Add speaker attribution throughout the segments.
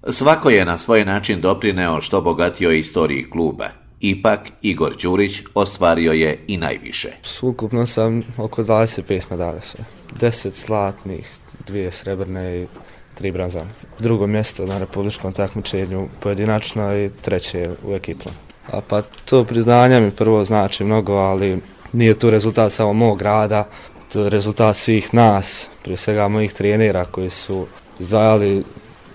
Speaker 1: Svako je na svoj način doprineo što bogatijoj istoriji kluba. Ipak, Igor Đurić ostvario je i najviše.
Speaker 2: Ukupno sam oko 25 medalja sve. 10 zlatnih, 2 srebrne i 3 bronzane. Drugo mjesto na republičkom takmičenju pojedinačno i treće u ekipnom. A pa to priznanje mi prvo znači mnogo, ali nije to rezultat samo mog rada, to je rezultat svih nas, prije svega mojih trenera koji su izdvajali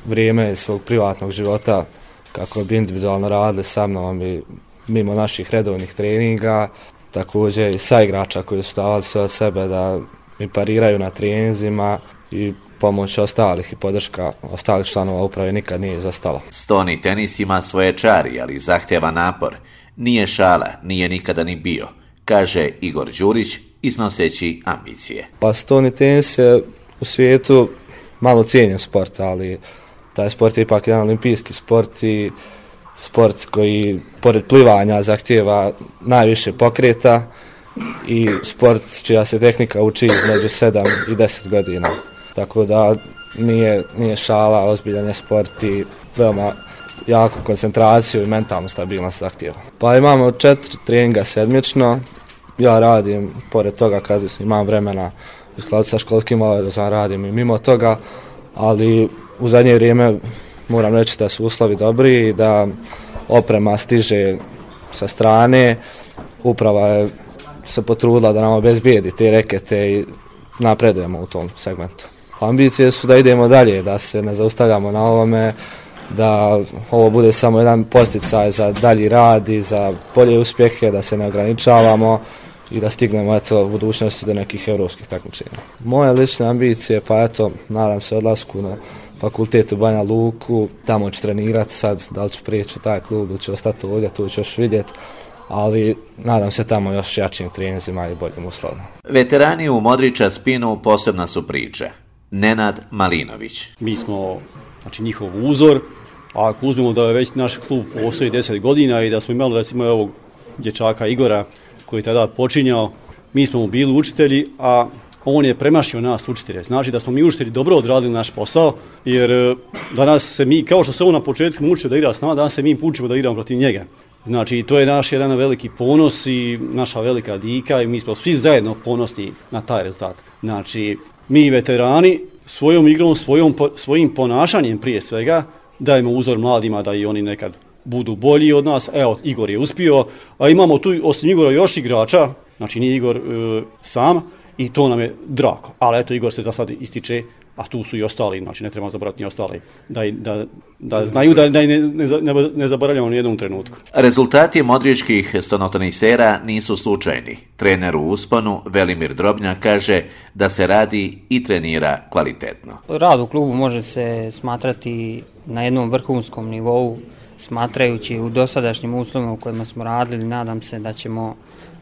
Speaker 2: vrijeme svog privatnog života kako bi individualno radili sa mnom i mimo naših redovnih treninga, također i saigrača koji su davali sve od sebe da mi pariraju na treninzima i pomoć ostalih i podrška ostalih članova uprave nikad nije izostala.
Speaker 1: Stoni tenis ima svoje čari, ali zahtjeva napor. Nije šala, nije nikada ni bio, kaže Igor Đurić iznoseći ambicije.
Speaker 2: Pa stoni tenis je u svijetu malo cijenjen sport, ali taj sport je ipak jedan olimpijski sport i sport koji pored plivanja zahtjeva najviše pokreta i sport čija se tehnika uči između 7 i 10 godina. Tako da nije šala, ozbiljan je sport i veoma jaku koncentraciju i mentalnu stabilnost zahtjeva. Pa imamo 4 treninga sedmično, ja radim pored toga kad imam vremena u skladu sa školskim obavezama radim i mimo toga, ali u zadnje vrijeme moram reći da su uslovi dobri i da oprema stiže sa strane. Uprava je se potrudila da nam obezbijedi te rekete i napredujemo u tom segmentu. Ambicije su da idemo dalje, da se ne zaustavljamo na ovome, da ovo bude samo jedan posticaj za dalji rad i za bolje uspjehe, da se ne ograničavamo i da stignemo u budućnosti do nekih europskih takmičenja. Moje lične ambicije, pa nadam se odlasku na fakultet u Banja Luku, tamo ću trenirati sad, da li ću prijeći u taj klub ili ću ostati ovdje, tu ću još vidjeti, ali nadam se tamo još jačim treninzima i boljim uslovima.
Speaker 1: Veterani u Modrića spinu posebna su priča. Nenad Malinović.
Speaker 3: Mi smo njihov uzor, a ako uzmemo da je već naš klub postoji 10 godina i da smo imali recimo ovog dječaka Igora koji je tada počinjao, mi smo mu bili učitelji, a on je premašio nas učitelje. Znači da smo mi učitelji dobro odradili naš posao, jer danas se mi, kao što se on na početku mučio da igra s nama, danas se mi učimo da igramo protiv njega. Znači to je naš jedan veliki ponos i naša velika dika i mi smo svi zajedno ponosni na taj rezultat. Znači mi veterani svojom igrom, svojim ponašanjem prije svega dajemo uzor mladima da i oni nekad budu bolji od nas. Evo, Igor je uspio, a imamo tu osim Igora još igrača, znači nije Igor sam i to nam je drago. Ali eto, Igor se za sad ističe, a tu su i ostali, znači ne treba zaboraviti ni ostali, da znaju da ne zaboravljamo ni jednom trenutku.
Speaker 1: Rezultati modričkih stonotenisera nisu slučajni. Trener u usponu Velimir Drobnjak kaže da se radi i trenira kvalitetno.
Speaker 4: Rad u klubu može se smatrati na jednom vrhunskom nivou, smatrajući u dosadašnjim uslovima u kojima smo radili, nadam se da ćemo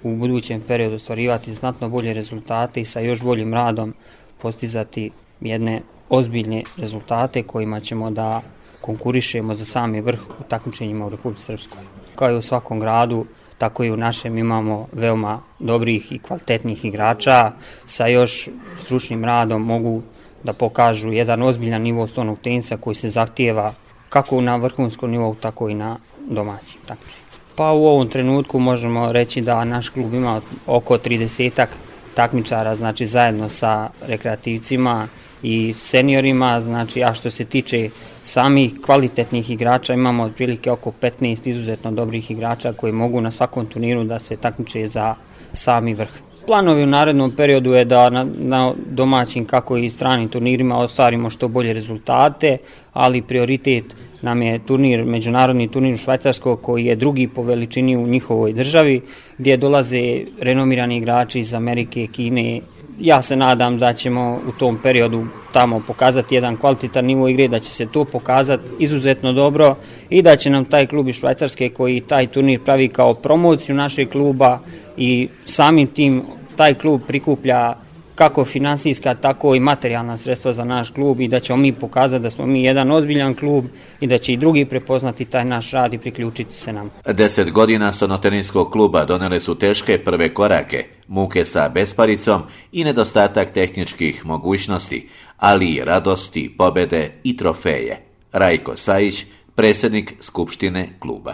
Speaker 4: u budućem periodu ostvarivati znatno bolje rezultate i sa još boljim radom postizati jedne ozbiljne rezultate kojima ćemo da konkurišemo za sami vrh u takmičenjima u Republici Srpskoj. Kao i u svakom gradu, tako i u našem imamo veoma dobrih i kvalitetnih igrača sa još stručnim radom mogu da pokažu jedan ozbiljan nivo stonog tenisa koji se zahtijeva kako na vrhunskom nivou, tako i na domaćim takmičenjima. Pa u ovom trenutku možemo reći da naš klub ima oko 30-ak takmičara, znači zajedno sa rekreativcima i seniorima, znači a što se tiče samih kvalitetnih igrača imamo otprilike oko 15 izuzetno dobrih igrača koji mogu na svakom turniru da se takmiče za sami vrh. Planovi u narednom periodu je da na domaćim kako i stranim turnirima ostvarimo što bolje rezultate, ali prioritet nam je međunarodni turnir u Švajcarskoj koji je drugi po veličini u njihovoj državi gdje dolaze renomirani igrači iz Amerike, Kine. Ja se nadam da ćemo u tom periodu tamo pokazati jedan kvalitetan nivo igre, da će se to pokazati izuzetno dobro i da će nam taj klub iz Švajcarske koji taj turnir pravi kao promociju našeg kluba i samim tim taj klub prikuplja kako finansijska, tako i materijalna sredstva za naš klub i da ćemo mi pokazati da smo mi jedan ozbiljan klub i da će i drugi prepoznati taj naš rad i priključiti se nam.
Speaker 1: 10 godina stonoteninskog kluba donele su teške prve korake, muke sa besparicom i nedostatak tehničkih mogućnosti, ali i radosti, pobjede i trofeje. Rajko Sajić, predsjednik Skupštine kluba.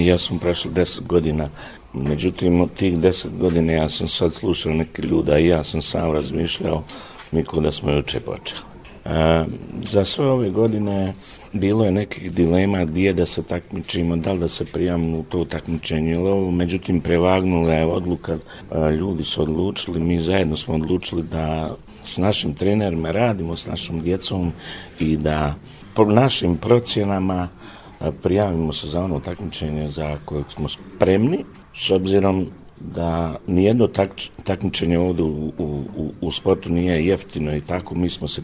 Speaker 5: Ja sam prošao 10 godina, međutim od tih 10 godina ja sam sad slušao neke ljude i ja sam sam razmišljao niko da smo juče počeli. Za sve ove godine bilo je nekih dilema gdje da se takmičimo, da li da se prijavimo u to takmičenje ili ovo, međutim prevagnula je odluka, ljudi su odlučili, mi zajedno smo odlučili da s našim trenerima radimo, s našom djecom i da po našim procjenama prijavimo se za ono takmičenje za kojeg smo spremni, s obzirom da nijedno takmičenje ovdje u sportu nije jeftino i tako mi smo se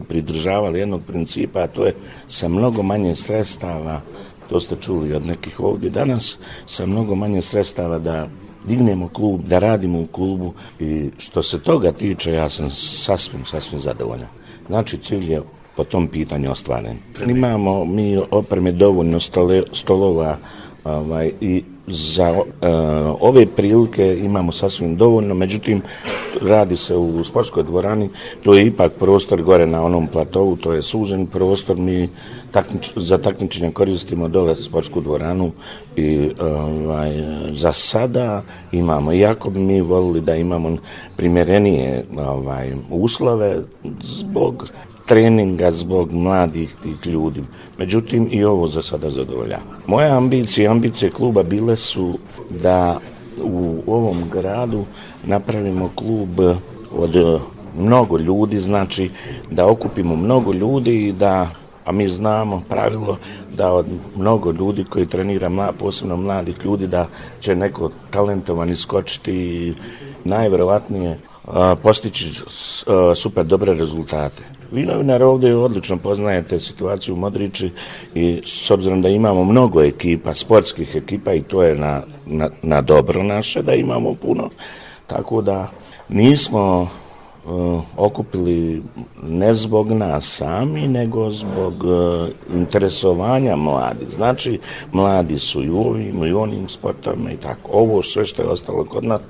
Speaker 5: pridržavali jednog principa, a to je sa mnogo manje sredstava, to ste čuli od nekih ovdje danas, sa mnogo manje sredstava da dignemo klub, da radimo u klubu i što se toga tiče ja sam sasvim zadovoljan. Znači cilj je po tom pitanju ostvaren. Imamo mi opreme dovoljno stolova i za ove prilike imamo sasvim dovoljno, međutim radi se u sportskoj dvorani, to je ipak prostor gore na onom platovu, to je sužen prostor, mi za takmičenje koristimo dole sportsku dvoranu i za sada imamo, iako bi mi volili da imamo primjerenije uslove zbog treninga, zbog mladih tih ljudi. Međutim, i ovo za sada zadovoljava. Moje ambicije kluba bile su da u ovom gradu napravimo klub od mnogo ljudi, znači da okupimo mnogo ljudi i da, a mi znamo pravilo da od mnogo ljudi koji trenira, posebno mladih ljudi, da će neko talentovan iskočiti i najvjerovatnije postići super dobre rezultate. Vi novinar ovdje odlično poznajete situaciju u Modriči i s obzirom da imamo mnogo ekipa, sportskih ekipa i to je na dobro naše da imamo puno, tako da nismo okupili ne zbog nas sami, nego zbog interesovanja mladih. Znači, mladi su i u ovim i onim sportovima i tako. Ovo sve što je ostalo kod nas,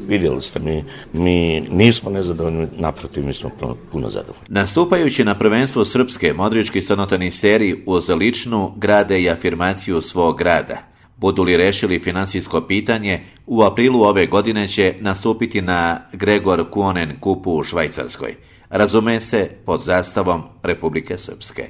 Speaker 5: vidjeli ste, mi nismo nezadovoljni, naprotiv, mi smo puno zadovoljni.
Speaker 1: Nastupajući na prvenstvu Srpske, modrički stanotaniseri uz ličnu grade i afirmaciju svog grada. Budu li rešili finansijsko pitanje, u aprilu ove godine će nastupiti na Gregor Kuonen kupu u Švajcarskoj. Razume se pod zastavom Republike Srpske.